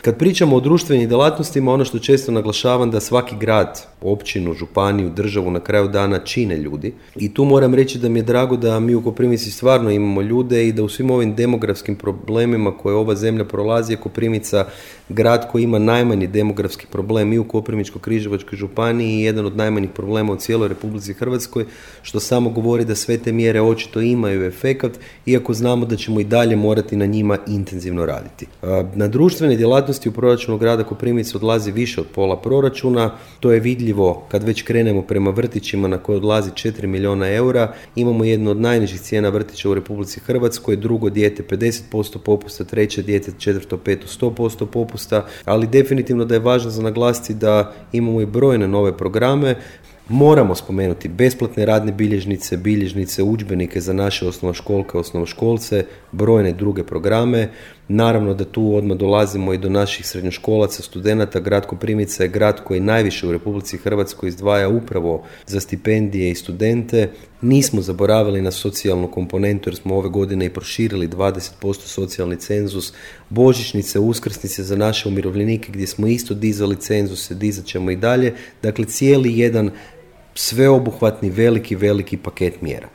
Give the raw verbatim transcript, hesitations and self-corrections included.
Kad pričamo o društvenim djelatnostima, ono što često naglašavam da svaki grad, općinu, županiju, državu na kraju dana čine ljudi. I tu moram reći da mi je drago da mi u Koprivnici stvarno imamo ljude i da u svim ovim demografskim problemima koje ova zemlja prolazi je Koprivnica grad koji ima najmanji demografski problem i u Koprivničko-križevačkoj županiji i jedan od najmanjih problema u cijeloj Republici Hrvatskoj, što samo govori da sve te mjere očito imaju efekat, iako znamo da ćemo i dalje morati na njima intenzivno raditi. Na društvene djelatnosti u proračunu grada Koprivnice odlazi više od pola proračuna. To je vidljivo kad već krenemo prema vrtićima na koje odlazi četiri milijuna eura. Imamo jednu od najnižih cijena vrtića u Republici Hrvatskoj, drugo dijete pedeset posto popusta, treće dijete, četvrto, peto sto posto popusta, ali definitivno da je važno za naglasiti da imamo i brojne nove programe. Moramo spomenuti besplatne radne bilježnice, bilježnice, udžbenike za naše osnovnoškolke, osnovnoškolce, brojne druge programe. Naravno da tu odmah dolazimo i do naših srednjoškolaca, studenata. Grad Koprivnica je grad koji najviše u Republici Hrvatskoj izdvaja upravo za stipendije i studente. Nismo zaboravili na socijalnu komponentu jer smo ove godine i proširili dvadeset posto socijalni cenzus, božićnice, uskrsnice za naše umirovljenike gdje smo isto dizali cenzuse, dizat ćemo i dalje. Dakle, cijeli jedan sveobuhvatni veliki, veliki paket mjera.